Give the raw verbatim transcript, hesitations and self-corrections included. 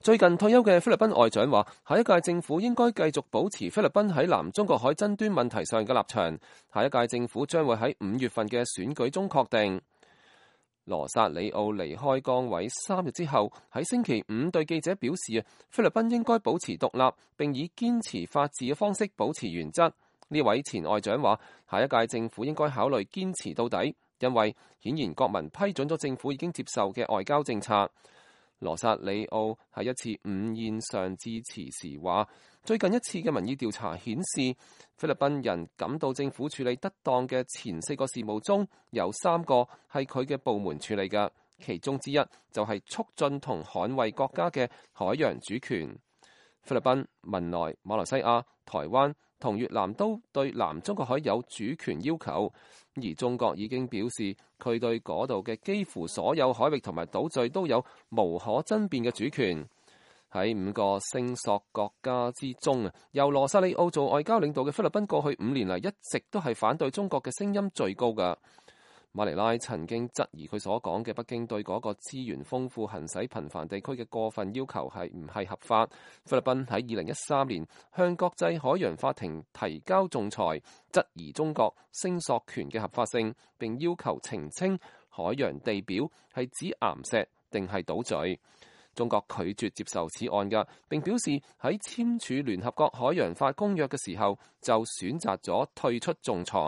最近退休嘅菲律賓外長話，下一屆政府應該繼續保持菲律賓喺南中國海爭端問題上嘅立場。下一屆政府將會喺五月份嘅選舉中確定。羅薩里奧離開崗位三日之後，喺星期五對記者表示，菲律賓應該保持獨立，並以堅持法治嘅方式保持原則。呢位前外長話，下一屆政府應該考慮堅持到底，因為顯然國民批准咗政府已經接受嘅外交政策。羅薩里奧喺一次午宴上致辭時話，最近一次嘅民意調查顯示，菲律賓人感到政府處理得當嘅前四個事務中有三個係佢嘅部門處理嘅，其中之一就係促進同捍衛國家嘅海洋主權。菲律賓、文萊、馬來西亞、台灣同越南都對南中國海有主權要求，而中國已經表示佢對嗰度嘅幾乎所有海域同埋島嶼都有無可爭辯嘅主權。喺五個聲索國家之中啊，由羅薩里奧做外交領導嘅菲律賓過去五年嚟一直都係反對中國嘅聲音最高㗎。馬尼拉曾經質疑佢所講嘅北京對嗰個資源豐富、行使頻繁地區嘅過分要求係唔係合法。菲律賓喺二零一三年向國際海洋法庭提交仲裁，質疑中國聲索權嘅合法性，並要求澄清海洋地表係指岩石定係島嶼。中國拒絕接受此案嘅，並表示喺簽署聯合國海洋法公約嘅時候就選擇咗退出仲裁。